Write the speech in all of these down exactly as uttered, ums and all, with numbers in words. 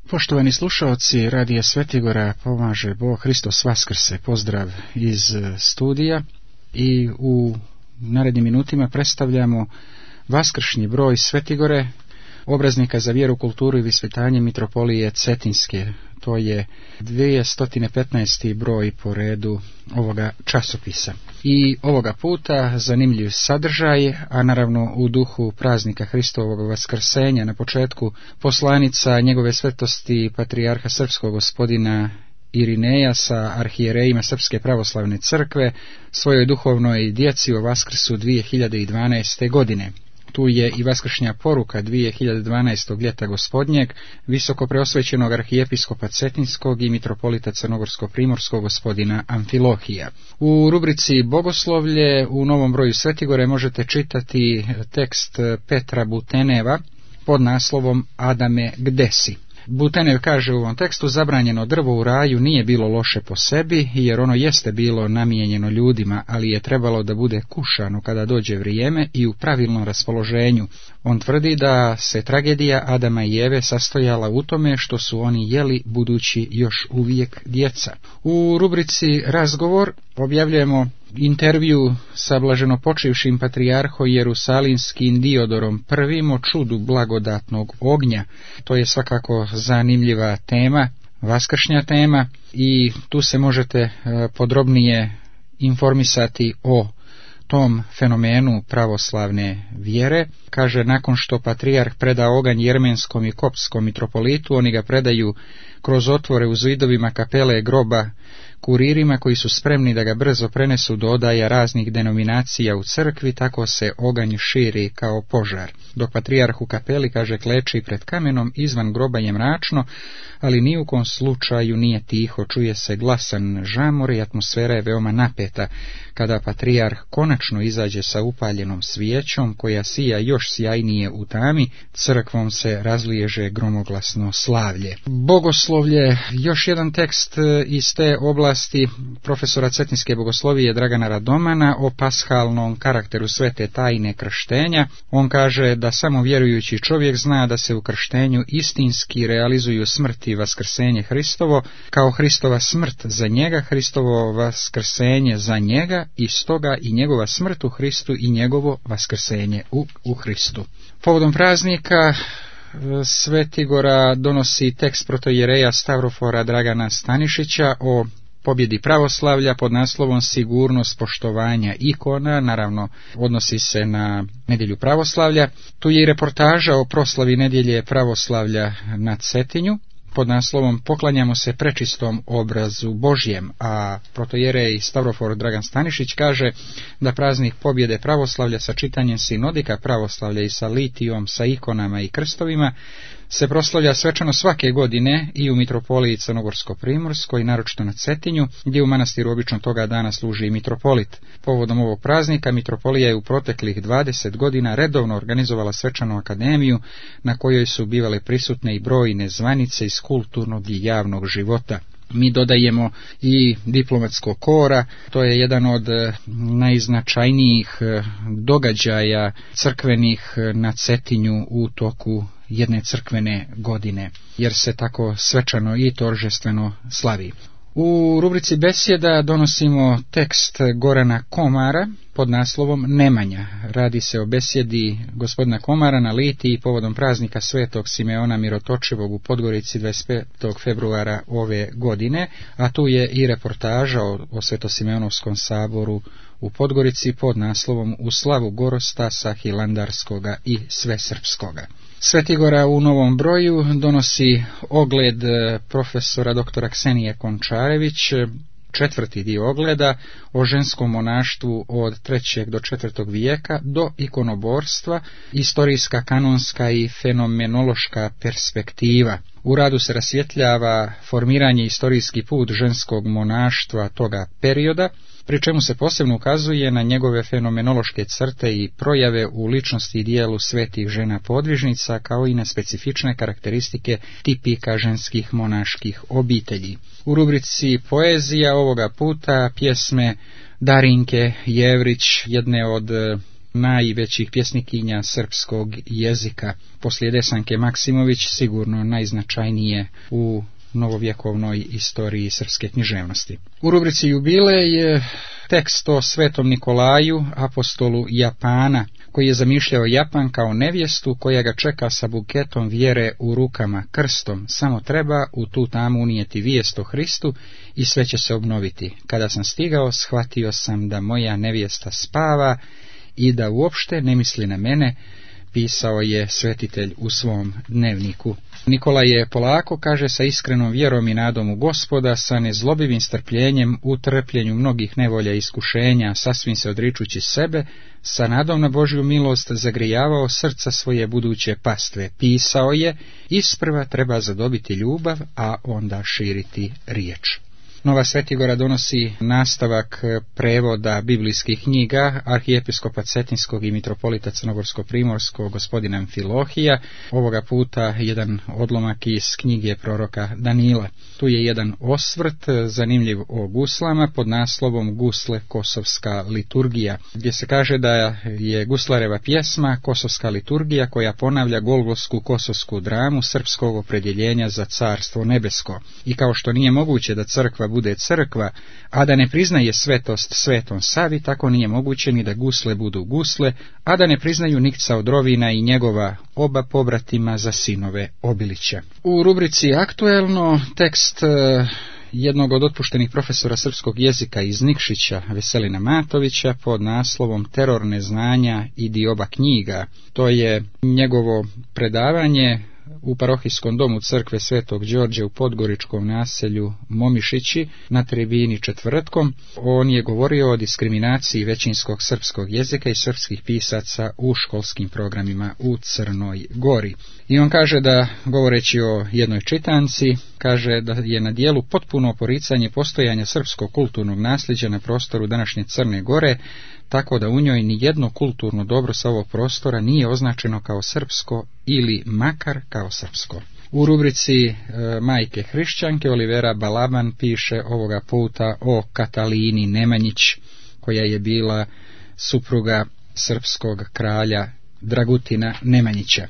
Poštovani slušaoci, Radija Svetigora pomaže Bog, Hristos Vaskrse, pozdrav iz studija i u narednim minutima predstavljamo vaskršnji broj Svetigore, obraznika za vjeru, kulturu i visvetanje mitropolije Cetinske. To je dvjesto petnaesti broj po redu ovoga časopisa. I ovoga puta zanimljiv sadržaj, a naravno u duhu praznika Hristovog vaskrsenja, na početku poslanica njegove svetosti patrijarha srpskog gospodina Irineja sa arhijerejima Srpske pravoslavne crkve svojoj duhovnoj djeci o Vaskrsu dvije hiljade dvanaeste. godine. Tu je i vaskršnja poruka dvije hiljade dvanaestog ljeta gospodnjeg visoko preosvećenog arhijepiskopa Cetinskog i mitropolita Crnogorsko-primorskog gospodina Amfilohija. U rubrici Bogoslovlje u novom broju Svetigore možete čitati tekst Petra Buteneva pod naslovom Adame, gde si? Butenev kaže u ovom tekstu: zabranjeno drvo u raju nije bilo loše po sebi, jer ono jeste bilo namijenjeno ljudima, ali je trebalo da bude kušano kada dođe vrijeme i u pravilnom raspoloženju. On tvrdi da se tragedija Adama i Eve sastojala u tome što su oni jeli budući još uvijek djeca. U rubrici Razgovor objavljujemo intervju sa blaženopočivšim patrijarhom Jerusalinskim Diodorom prvim o čudu blagodatnog ognja. To je svakako zanimljiva tema, vaskršnja tema, i tu se možete podrobnije informisati o tom fenomenu pravoslavne vjere. Kaže, nakon što patrijarh preda oganj jermenskom i koptskom mitropolitu, oni ga predaju kroz otvore u zidovima kapele groba kuririma koji su spremni da ga brzo prenesu do odaja raznih denominacija u crkvi. Tako se oganj širi kao požar. Dok patrijarh u kapeli, kaže, kleči pred kamenom, izvan groba je mračno, ali ni u kom slučaju nije tiho, čuje se glasan žamor i atmosfera je veoma napeta. Kada patrijarh konačno izađe sa upaljenom svijećom koja sija još sjajnije u tami, crkvom se razliježe gromoglasno slavlje. Bogoslovlje, još jedan tekst iz te oblasti profesora Cetinske bogoslovije Dragana Radomana o pashalnom karakteru svete tajne krštenja. On kaže da samo vjerujući čovjek zna da se u krštenju istinski realizuju smrt i vaskrsenje Hristovo, kao Hristova smrt za njega, Hristovo vaskrsenje za njega, i stoga i njegova smrt u Hristu i njegovo vaskrsenje u, u Hristu. Povodom praznika Svetigora donosi tekst protoijereja Stavrofora Dragana Stanišića o pobjedi pravoslavlja pod naslovom Sigurnost poštovanja ikona. Naravno, odnosi se na nedjelju pravoslavlja. Tu je i reportaža o proslavi nedjelje pravoslavlja na Cetinju pod naslovom Poklanjamo se prečistom obrazu Božjem, a protoijerej Stavrofor Dragan Stanišić kaže da praznik pobjede pravoslavlja sa čitanjem sinodika pravoslavlja i sa litijom, sa ikonama i krstovima se proslavlja svečano svake godine i u mitropoliji Crnogorsko-primorskoj, naročito na Cetinju, gdje u manastiru obično toga dana služi i mitropolit. Povodom ovog praznika mitropolija je u proteklih dvadeset godina redovno organizovala svečanu akademiju na kojoj su bivale prisutne i brojne zvanice iz kulturnog i javnog života. Mi dodajemo i diplomatskog kora, to je jedan od najznačajnijih događaja crkvenih na Cetinju u toku jedne crkvene godine, jer se tako svečano i toržestveno slavi. U rubrici Besjeda donosimo tekst Gorana Komara pod naslovom Nemanja. Radi se o besjedi gospodina Komara na Litiji povodom praznika svetog Simeona Mirotočivog u Podgorici dvadeset petog februara ove godine, a tu je i reportaža o, o Svetosimeonovskom saboru u Podgorici pod naslovom U slavu Gorostasa Hilandarskoga i Svesrpskoga. Svetigora u novom broju donosi ogled profesora doktora Ksenije Končarević, četvrti dio ogleda o ženskom monaštvu od trećeg do četvrtog vijeka do ikonoborstva, istorijska, kanonska i fenomenološka perspektiva. U radu se rasvjetljava formiranje istorijski put ženskog monaštva toga perioda, pri čemu se posebno ukazuje na njegove fenomenološke crte i projave u ličnosti i dijelu svetih žena podvižnica, kao i na specifične karakteristike tipika ženskih monaških obitelji. U rubrici Poezija ovoga puta pjesme Darinke Jevrić, jedne od najvećih pjesnikinja srpskog jezika. Poslije Desanke Maksimović sigurno najznačajnije u novovjekovnoj istoriji srpske književnosti. U rubrici Jubilej je tekst o Svetom Nikolaju, apostolu Japana, koji je zamišljao Japan kao nevjestu koja ga čeka sa buketom vjere u rukama, krstom. Samo treba u tu tamu unijeti vijest o Hristu i sve će se obnoviti. Kada sam stigao, shvatio sam da moja nevjesta spava i da uopšte ne misli na mene, pisao je svetitelj u svom dnevniku. Nikola je polako, kaže, sa iskrenom vjerom i nadom u Gospoda, sa nezlobivim strpljenjem u trpljenju mnogih nevolja i iskušenja, sasvim se odričući sebe, sa nadom na Božju milost zagrijavao srca svoje buduće pastve. Pisao je, isprva treba zadobiti ljubav, a onda širiti riječ. Nova Svetigora donosi nastavak prevoda biblijskih knjiga arhijepiskopa Cetinskog i mitropolita Crnogorsko-primorskog gospodina Amfilohija, ovoga puta jedan odlomak iz knjige proroka Danila. Tu je jedan osvrt zanimljiv o guslama pod naslovom Gusle Kosovska liturgija, gdje se kaže da je guslareva pjesma Kosovska liturgija koja ponavlja golgotsku kosovsku dramu srpskog opredjeljenja za carstvo nebesko. I kao što nije moguće da crkva bude crkva, a da ne priznaje svetost Svetom Savi, tako nije moguće ni da gusle budu gusle, a da ne priznaju Nikca od Rovina i njegova oba pobratima za sinove Obilića. U rubrici Aktuelno tekst jednog od otpuštenih profesora srpskog jezika iz Nikšića, Veselina Matovića, pod naslovom Teror neznanja i dioba knjiga. To je njegovo predavanje u parohijskom domu crkve Svetog Đorđe u podgoričkom naselju Momišići na tribini četvrtkom. On je govorio o diskriminaciji većinskog srpskog jezika i srpskih pisaca u školskim programima u Crnoj Gori. I on kaže da, govoreći o jednoj čitanci, kaže da je na dijelu potpuno poricanje postojanja srpskog kulturnog nasljeđa na prostoru današnje Crne Gore, tako da u njoj ni jedno kulturno dobro sa ovog prostora nije označeno kao srpsko ili makar kao srpsko. U rubrici e, Majke hrišćanke Olivera Balaban piše ovoga puta o Katalini Nemanjić, koja je bila supruga srpskog kralja Dragutina Nemanjića.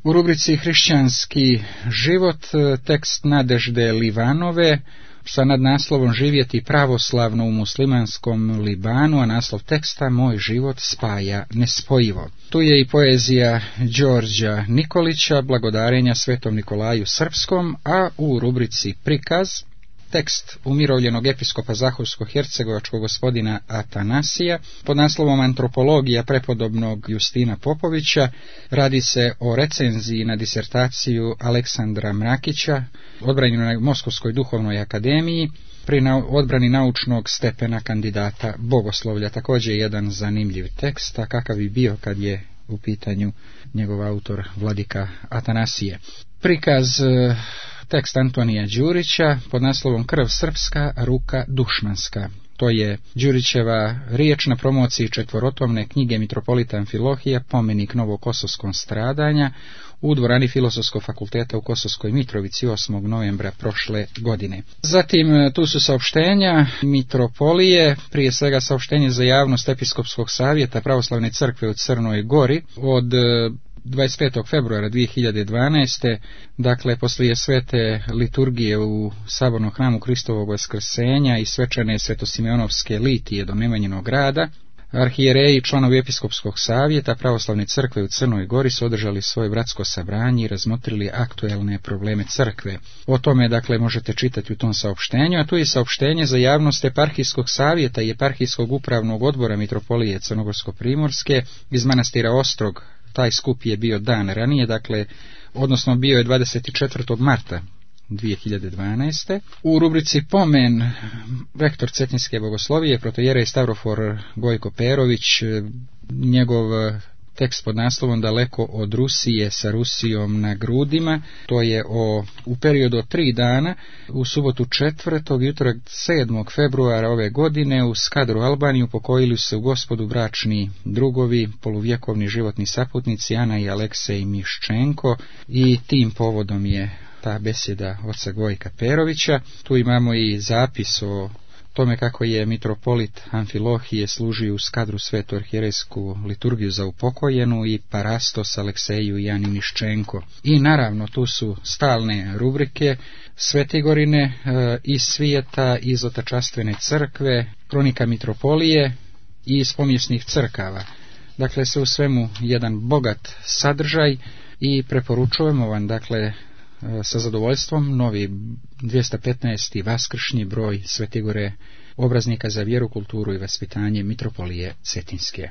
U rubrici Hrišćanski život tekst Nadežde Livanove sa nadnaslovom Živjeti pravoslavno u muslimanskom Libanu, a naslov teksta Moj život spaja nespojivo. Tu je i poezija Đorđa Nikolića, Blagodarenja Svetom Nikolaju Srpskom, a u rubrici Prikaz tekst umirovljenog episkopa Zahorsko-hercegovačkog gospodina Atanasija pod naslovom Antropologija prepodobnog Justina Popovića. Radi se o recenziji na disertaciju Aleksandra Mrakića, odbranjenu na Moskovskoj duhovnoj akademiji, pri odbrani naučnog stepena kandidata bogoslovlja. Također jedan zanimljiv tekst, a kakav bi bio kad je u pitanju njegov autor Vladika Atanasije. Prikaz tekst Antonija Đurića pod naslovom Krv srpska, ruka dušmanska. To je Đurićeva riječ na promociji četvorotomne knjige mitropolita Amfilohija Pomenik novokosovskom stradanja u dvorani Filozofskog fakulteta u Kosovskoj Mitrovici osmog novembra prošle godine. Zatim tu su saopštenja mitropolije, prije svega saopštenje za javnost Episkopskog savjeta Pravoslavne crkve u Crnoj Gori od dvadeset petog februara dvije hiljade dvanaeste. Dakle, poslije svete liturgije u Sabornom hramu Kristovog Vaskrsenja i svečane svetosimeonovske litije do Nemanjinog grada, arhijereji i članovi Episkopskog savjeta Pravoslavne crkve u Crnoj Gori su održali svoje bratsko sabranje i razmotrili aktuelne probleme crkve. O tome, dakle, možete čitati u tom saopštenju, a tu je saopštenje za javnost Eparhijskog savjeta i Eparhijskog upravnog odbora mitropolije Crnogorsko-primorske iz manastira Ostrog. Taj skup je bio dan ranije, dakle, odnosno bio je dvadeset četvrtog marta dvije hiljade dvanaeste. U rubrici Pomen, rektor Cetinske bogoslovije, protojerej Stavrofor Gojko Perović, njegov tekst pod naslovom Daleko od Rusije sa Rusijom na grudima, to je o, u periodu od tri dana, u subotu četvrtog i utorak sedmog februara ove godine u Skadru Albaniju pokojili se u Gospodu bračni drugovi, poluvjekovni životni saputnici Ana i Aleksej Miščenko, i tim povodom je ta besjeda oca Gojka Perovića. Tu imamo i zapis o tome kako je mitropolit Amfilohije služio u skadru svetu arhijerejsku liturgiju za upokojenu i parastos Alekseju i Ani Niščenko. I naravno tu su stalne rubrike Svetigorine e, iz svijeta, iz otačastvene crkve, kronika mitropolije i iz pomjesnih crkava. Dakle, sve u svemu jedan bogat sadržaj i preporučujemo vam, dakle, sa zadovoljstvom novi dvjesto petnaesti vaskršnji broj Svetigore, obraznika za vjeru, kulturu i vaspitanje mitropolije Cetinske.